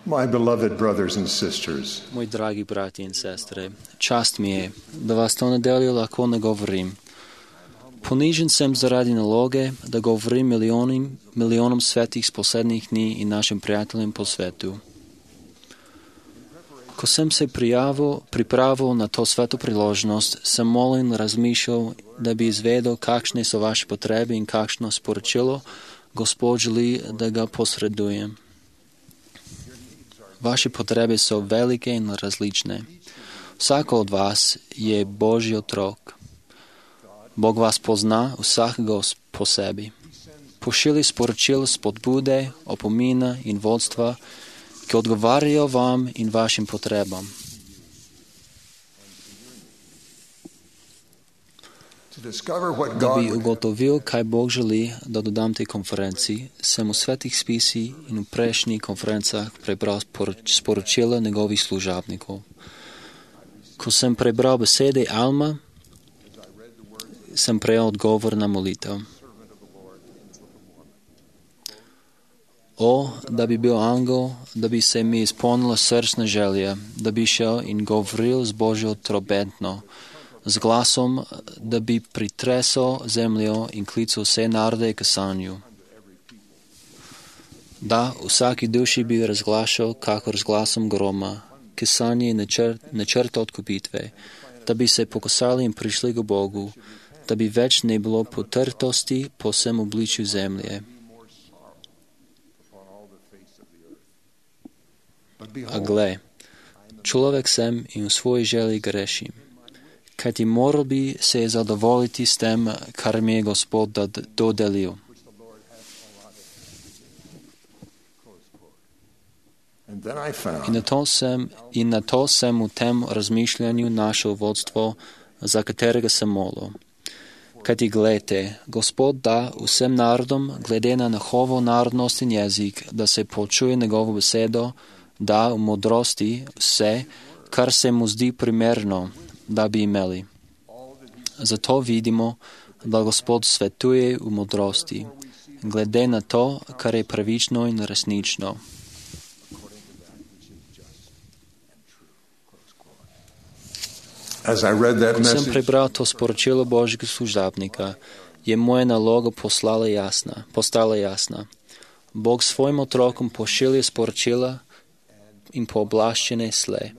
My beloved brothers and sisters, Moji dragi brati in sestre, čast mi je da vas to nedeljo lahko nagovorim. Ponižen sem zaradi naloge, da govorim milijonom svetih z poslednjih dni in našim prijateljem po svetu. Ko sem se pripravil na to sveto priložnost, sem molil in razmišljal, da bi izvedel, kakšne so vaše potrebe in kakšno sporočilo Gospod želi, da ga posredujem. Vaše potrebe so velike in različne. Vsako od vas je Božji otrok. Bog vas pozna, vsakega po sebi. Pošilji sporočilo spodbude, opomina in vodstva, ki odgovarjajo vam in vašim potrebam. Da bi ugotovil, kaj Bog želi, da dodam tej konferenci, sem v svetih spisih in v prejšnjih konferencah prebral sporočila njegovih služabnikov. Ko sem prebral besede Alma, sem prejel odgovor na molitev. O, da bi bil angel, da bi se mi izpolnila srčna želja, da bi šel in govoril z Božjo trobentno, z glasom, da bi pritresel zemljo in klical vse narode k sanju. Da, vsaki duši bi razglašal, kakor z glasom groma, k sanji načrt odkupitve, da bi se pokosali in prišli k Bogu, da bi več ne bilo potrtosti po vsem obličju zemlje. A gle, človek sem in v svoji želji grešim. Kajti moral bi se zadovoljiti s tem, kar mi je Gospod dodelil. In na to sem v tem razmišljanju našel vodstvo, za katerega sem molil. Kajti glejte, Gospod da vsem narodom, glede na njihovo narodnost in jezik, da se počuje njegovo besedo, da v modrosti vse, kar se mu zdi primerno, da bi imeli. Zato vidimo, da Gospod svetuje v modrosti, glede na to, kar je pravično in resnično. Ko sem prebral to sporočilo Božjega služabnika, je moja naloga postala jasna. Bog svojim otrokom pošilja sporočila in pooblaščene slej.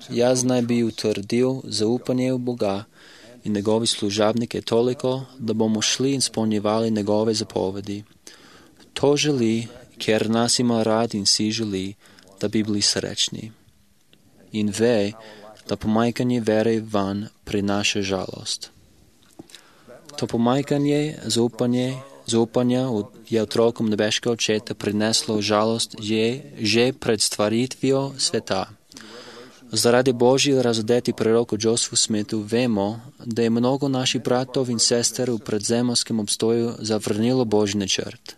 Jaz naj bi utrdil zaupanje v Boga in njegovi služabnike toliko, da bomo šli in izpolnjevali njegove zapovedi. To želi, ker nas ima rad in si želi, da bi bili srečni. In ve, da pomanjkanje vere van prinaša žalost. To pomanjkanje zaupanja je otrokom nebeškega očeta prineslo žalost že pred stvaritvijo sveta. Zaradi Božji razodeti proroku Josefu Smithu vemo, da je mnogo naših bratov in sester v predzemorskem obstoju zavrnilo Božji načrt.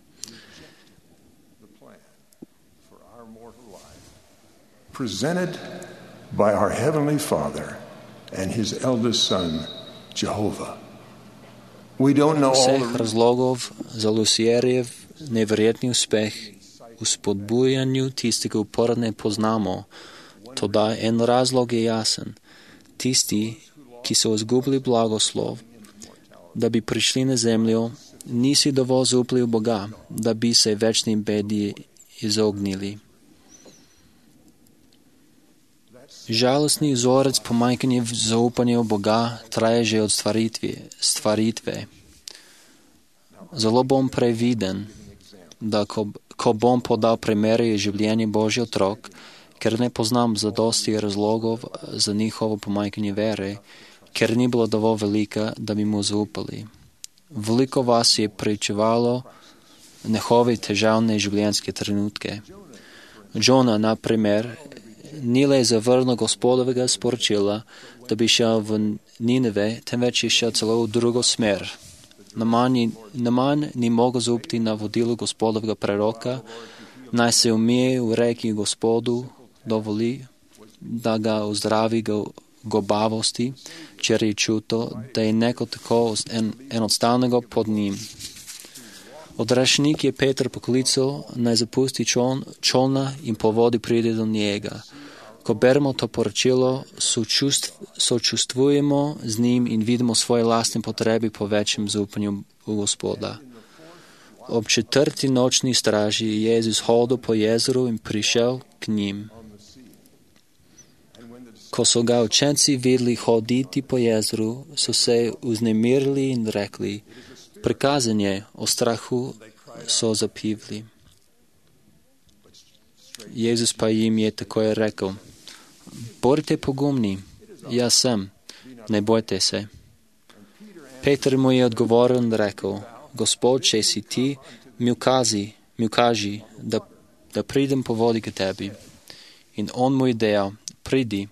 Presented by our Heavenly Father and His eldest Son, Jehovah. Vseh razlogov za Lucierjev neverjetni uspeh v spodbujanju tistega upora ne poznamo, toda en razlog je jasen. Tisti, ki so izgubili blagoslov, da bi prišli na zemljo, nisi dovolj zaupali v Boga, da bi se večni bedi izognili. Žalostni vzorec pomanjkanja zaupanja v Boga traja že od stvaritve. Zelo bom previden, da ko bom podal primere je življenje Božji otrok, ker ne poznam zadosti razlogov za njihovo pomanjkanje vere, ker ni bilo dovolj velika, da bi mu zaupali. Veliko vas je pričevalo njihove težavne življenjske trenutke. Džona, na primer, ni le zavrnil Gospodovega sporočila, da bi šel v Nineve, temveč je šel celo v drugo smer. Naman ni mogel zaupati na vodilo Gospodovega preroka, naj se umije v reki Gospodu, dovoli, da ga ozdravi gobavosti, če je čuto, da je neko tako enostavnega pod njim. Odrešenik je Petar poklical, naj zapusti čolna in po vodi pride do njega. Ko beremo to poročilo, sočustvujemo z njim in vidimo svoje lastne potrebe po večjem zaupanju v Gospoda. Ob 4. nočni straži je Jezus hodil po jezeru in prišel k njim. Ko so ga učenci videli hoditi po jezeru, so se vznemirili in rekli: prikazanje o strahu so zapivli. Jezus pa jim je takoj rekel: bodite pogumni, jaz sem, ne bojte se. Peter mu je odgovoril in rekel: Gospod, če si ti, mi ukaži, da pridem po vodi k tebi. In on mu je dejal: pridi.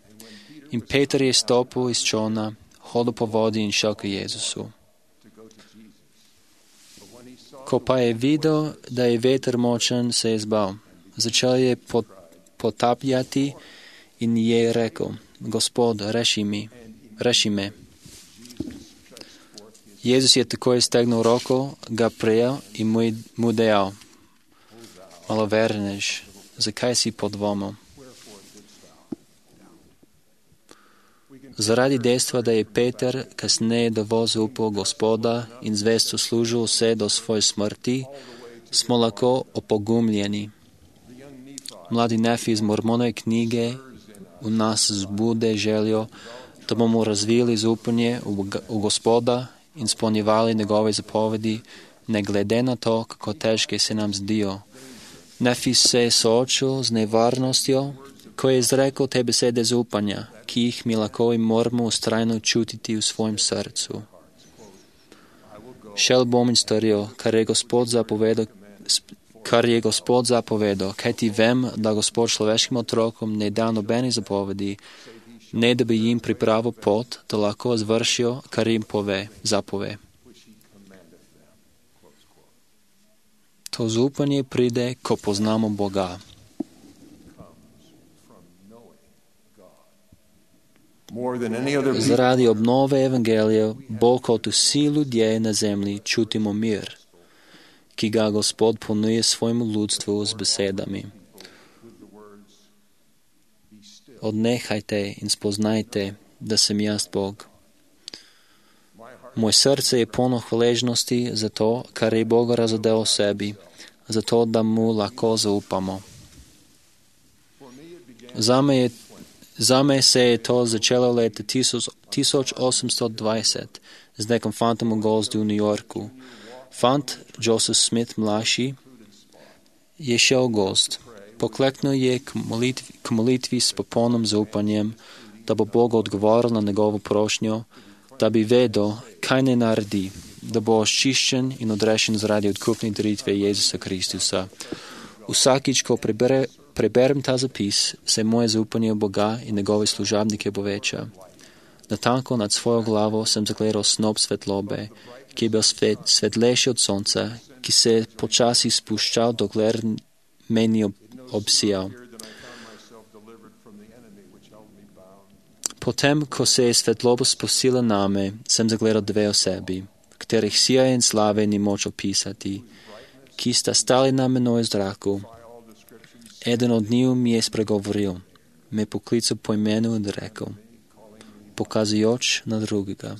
In Peter je stopil iz čolna, hodil po vodi in šel k Jezusu. Ko pa je videl, da je veter močen, se je zbal. Začel je potapljati in je rekel: Gospod, reši me. Jezus je takoj stegnil roko, ga prijel in mu dejal: malovernež, zakaj si podvomil? Zaradi dejstva, da je Peter kasneje dovolj zaupal Gospoda in zvesto služil vse do svoje smrti, smo lahko opogumljeni. Mladi Nefi iz Mormonove knjige v nas zbude željo, da bomo razvili zaupanje v Gospoda in spolnjevali njegove zapovedi, ne glede na to, kako težke se nam zdijo. Nefi se je soočil z nevarnostjo, ko je izrekel te besede zaupanja, ki jih mi lahko in moramo ustrajno čutiti v svojem srcu. Šel bom in storil, kar je Gospod zapovedal, kajti vem, da Gospod človeškim otrokom ne da nobene zapovedi, ne da bi jim pripravil pot, da lahko izvršijo, kar jim zapove. To zaupanje pride, ko poznamo Boga. Zaradi obnove evangelija, bolj kot vsi ljudje na zemlji, čutimo mir, ki ga Gospod ponuje svojemu ljudstvu z besedami. Odnehajte in spoznajte, da sem jaz Bog. Moje srce je polno hvaležnosti za to, kar je Bog razodel o sebi, za to, da mu lahko zaupamo. Zame se je to začelo leta 1820 z nekim fantom v gozdu v New Yorku. Fant, Joseph Smith mlajši, je šel v gozd. Pokleknil je k molitvi s popolnim zaupanjem, da bo Bog odgovoril na njegovo prošnjo, da bi vedel, kaj ne naredi, da bo očiščen in odrešen zaradi odkupne daritve Jezusa Kristusa. Vsakič, ko preberem ta zapis, se moje zaupanje v Boga in njegove služabnike poveča. Natanko nad svojo glavo sem zagledal snop svetlobe, ki je bil svetlejši od sonca, ki se je počasi spuščal, dokler me ni obsijal. Potem, ko se je svetloba spustila name, sem zagledal dve osebi, katerih sija in slave ni moč opisati, ki sta stali na menoj v zraku. Eden od njih mi je spregovoril, me poklical po imenu in rekel, pokazujoč na drugega: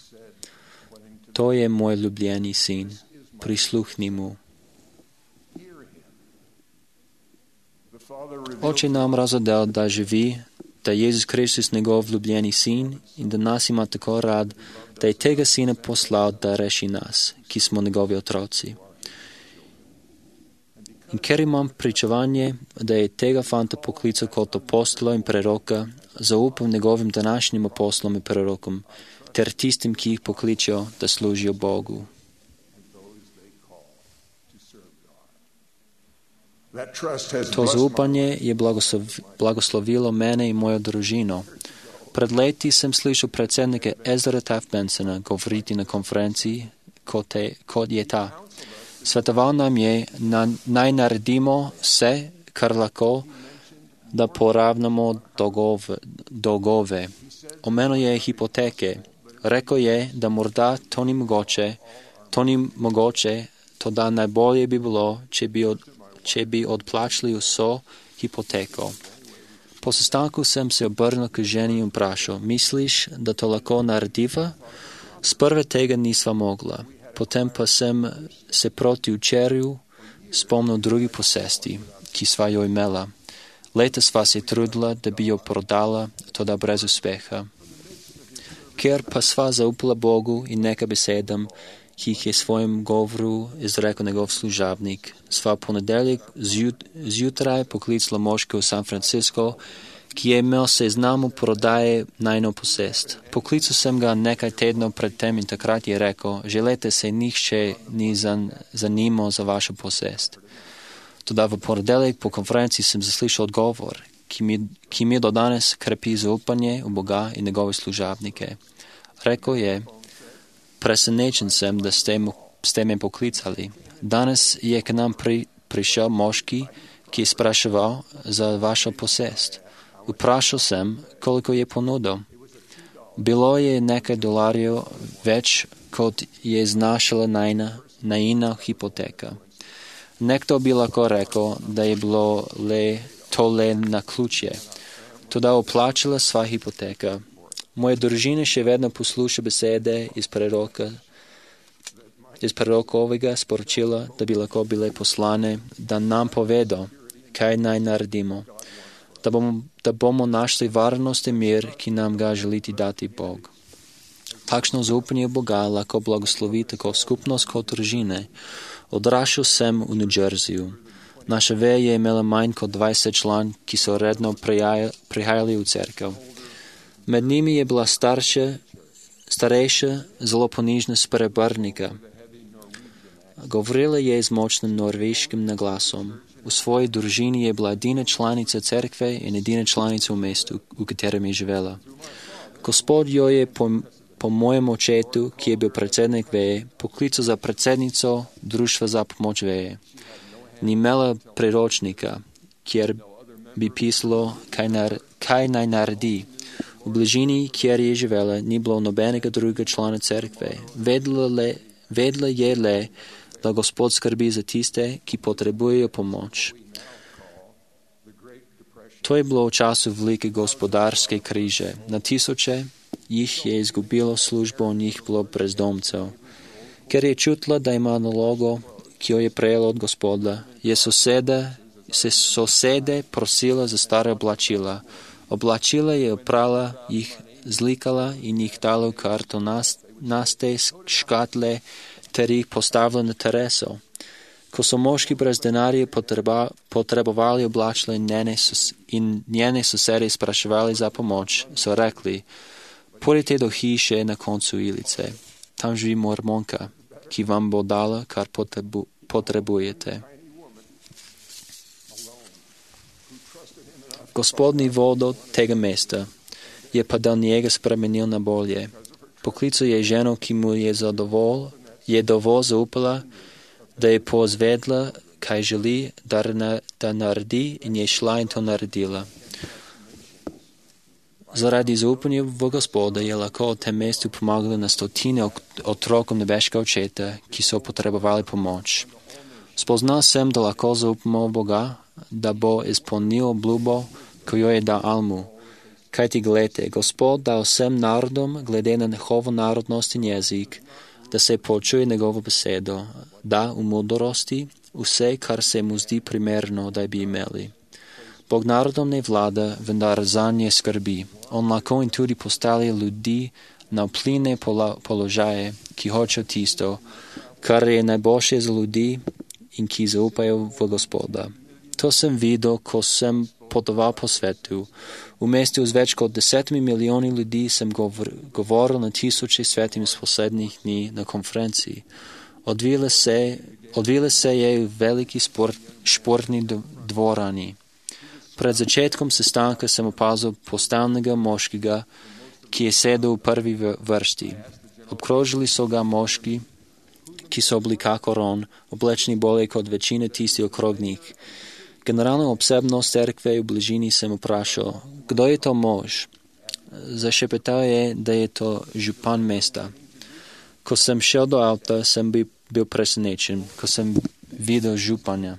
to je moj ljubljeni sin, prisluhni mu. Oče nam razodel, da živi, da je Jezus Kristus njegov ljubljeni sin in da nas ima tako rad, da je tega sina poslal, da reši nas, ki smo njegovi otroci. In ker imam pričevanje, da je tega fanta poklical kot apostola in preroka, zaupam njegovim današnjim apostolom in prerokom, ter tistim, ki jih pokličejo, da služijo Bogu. To zaupanje je blagoslovilo mene in mojo družino. Pred leti sem slišal predsednika Ezra Taft Bensona govoriti na konferenciji, kot je ta. Svetoval nam je, naj naredimo vse, kar lahko, da poravnamo dolgove. Omenil je hipoteke. Rekel je, da morda to ni mogoče, Toda najbolje bi bilo, če bi odplačali vso hipoteko. Po sestanku sem se obrnil k ženi in vprašal, misliš, da to lahko narediva? Sprve tega nisva mogla, potem pa sem se proti včerju spomnil drugi posesti, ki sva jo imela. Leta sva se trudila, da bi jo prodala, toda brez uspeha. Ker pa sva zaupala Bogu in nekaj besedam, ki jih je svojem govoru izrekel njegov služabnik, sva ponedeljek zjutraj poklicala moškega v San Francisco, ki je imel seznam prodaje najno posest. Poklical sem ga nekaj tednov pred tem in takrat je rekel, že leta se nihče ni zanimal za vašo posest. Toda v ponedeljek po konferenci sem zaslišal odgovor, ki mi do danes krepi zaupanje v Boga in njegove služabnike. Rekel je, presenečen sem, da ste me poklicali. Danes je k nam prišel moški, ki je spraševal za vašo posest. Vprašal sem, koliko je ponudil. Bilo je nekaj dolarjev več, kot je znašala najina hipoteka. Nekdo bi lahko rekel, da je bilo to le naključje. Toda oplačala sva hipoteka. Moja družina še vedno posluša besede iz prorokovega sporočila, da bi lahko bile poslane, da nam povedo, kaj naj naredimo, da bomo našli varnost in mir, ki nam ga želiti dati Bog. Takšno zaupanje Boga lahko blagoslovi tako skupnost kot družine. Odraščal sem v New Jerseyju. Naša veja je imela manj kot 20 član, ki so redno prihajali v cerkev. Med njimi je bila starejša, zelo ponižna sprebrnika. Govorila je z močnim norveškim naglasom. V svoji družini je bila edina članica cerkve in edina članica v mestu, v katerem je živela. Gospod jo je po mojem očetu, ki je bil predsednik veje, poklical za predsednico Društva za pomoč veje. Ni imela priročnika, kjer bi pisalo, kaj naj naredi. V bližini, kjer je živela, ni bilo nobenega drugega člana cerkve. Vedela je le, da Gospod skrbi za tiste, ki potrebujejo pomoč. To je bilo v času velike gospodarske krize. Na tisoče jih je izgubilo službo in jih bilo brezdomcev. Ker je čutila, da ima nalogo, ki jo je prejela od Gospoda, je sosede prosila za stare oblačila. Oblačila je oprala, jih zlikala in jih dala v kartonaste škatle ter jih postavila na tereso. Ko so moški brez denarja potrebovali oblačila in njene sosede spraševali za pomoč, so rekli, pojdite do hiše na koncu ulice. Tam živi mormonka, ki vam bo dala, kar potrebujete. Gospod ni vodil tega mesta, je pa del njega spremenil na bolje. Poklical je ženo, ki mu je dovolj zaupala, da je pozvedla, kaj želi, da naredi in je šla in to naredila. Zaradi zaupanja v Gospoda je lahko v tem mestu pomagala na stotine otrokom nebeškega očeta, ki so potrebovali pomoč. Spoznal sem, da lahko zaupamo v Boga, da bo izpolnil obljubo, ko jo je dal Almu. Kajti glede, Gospod dal vsem narodom, glede na njihovo narodnost in jezik, da se poučuje njegovo besedo, da v modrosti vse, kar se mu zdi primerno, da bi imeli. Bog narodom ne vlada, vendar zanje skrbi. On lahko in tudi postavlja ljudi na vplivne položaje, ki hočejo tisto, kar je najboljše za ljudi in ki zaupajo v Gospoda. To sem videl, ko sem potoval po svetu. V mestu z več kot 10 milijoni ljudi sem govoril na tisoče svetim z poslednjih dni na konferenciji. Odvile se je v veliki športni dvorani. Pred začetkom sestanka sem opazil postavnega moškega, ki je sedel v prvi vrsti. Obkrožili so ga moški, ki so bili kakor on, oblečeni bolje kot večina tisti okrog njih. Generalno obsebnost cerkve v bližini sem vprašal, kdo je to mož? Zašepetal je, da je to župan mesta. Ko sem šel do avta, sem bil presenečen, ko sem videl županja,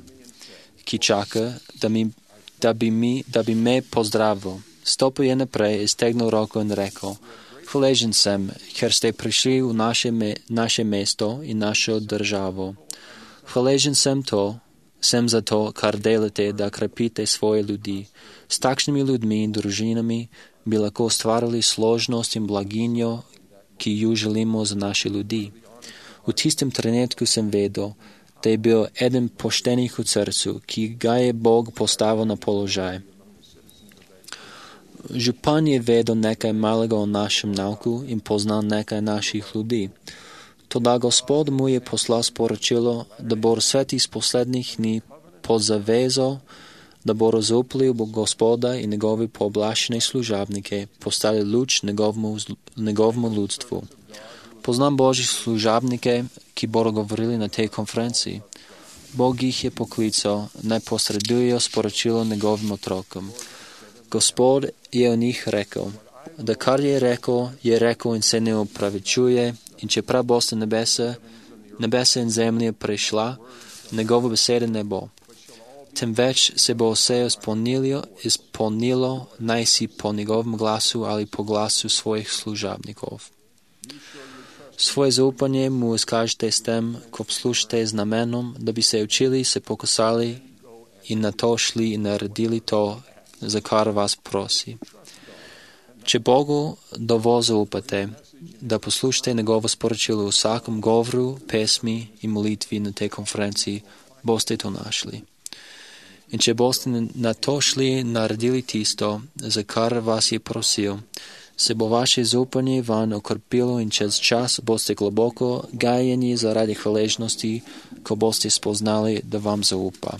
ki čaka, da bi me pozdravil. Stopil je naprej, iztegnil roko in rekel: Hvaležen sem, ker ste prišli v naše mesto in našo državo. Hvaležen sem za to, kar delate, da krepite svoje ljudi. S takšnimi ljudmi in družinami bi lahko ustvarili složnost in blaginjo, ki ju želimo za naše ljudi. V tistem trenutku sem vedel, da je bil eden poštenih v srcu, ki ga je Bog postavil na položaj. Župan je vedel nekaj malega o našem nauku in poznal nekaj naših ljudi. Toda Gospod mu je poslal sporočilo, da bo svet iz poslednjih dni pod zavezo, da bo zaupali v Gospoda in njegovi pooblaščeni služabnike, postali luč njegovemu ljudstvu. Poznam Božjih služabnike, ki bodo govorili na tej konferenciji. Bog jih je poklical, naj posredujejo sporočilo njegovim otrokom. Gospod je o njih rekel, da kar je rekel in se ne opravičuje, in čeprav boste nebesa in zemlje prešla, njegove besede ne bo. Temveč se bo vse izpolnilo, naj si po njegovem glasu ali po glasu svojih služabnikov. Svoje zaupanje mu izkažite s tem, ko poslušate z namenom, da bi se učili, se pokosali in na to šli in naredili to, za kar vas prosi. Če Bogu dovolj zaupate, da poslušate njegovo sporočilo v vsakem govoru, pesmi in molitvi na tej konferenciji, boste to našli. In če boste na to šli in naredili tisto, za kar vas je prosil, se bo vaše zaupanje van okrepilo in čez čas boste globoko gajeni zaradi hvaležnosti, ko boste spoznali, da vam zaupa.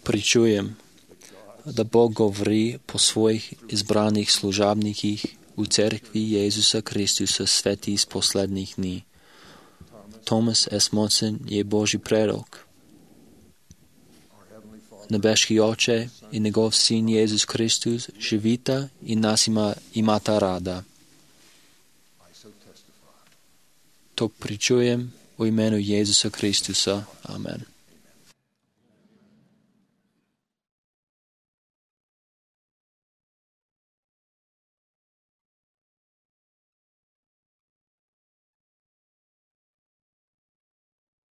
Pričujem, da Bog govori po svojih izbranih služabnikih v cerkvi Jezusa Kristusa sveti iz poslednjih dni. Thomas S. Monson je Božji prerok. Nebeški Oče in njegov Sin Jezus Kristus živita in nas imata rada. To pričujem v imenu Jezusa Kristusa. Amen.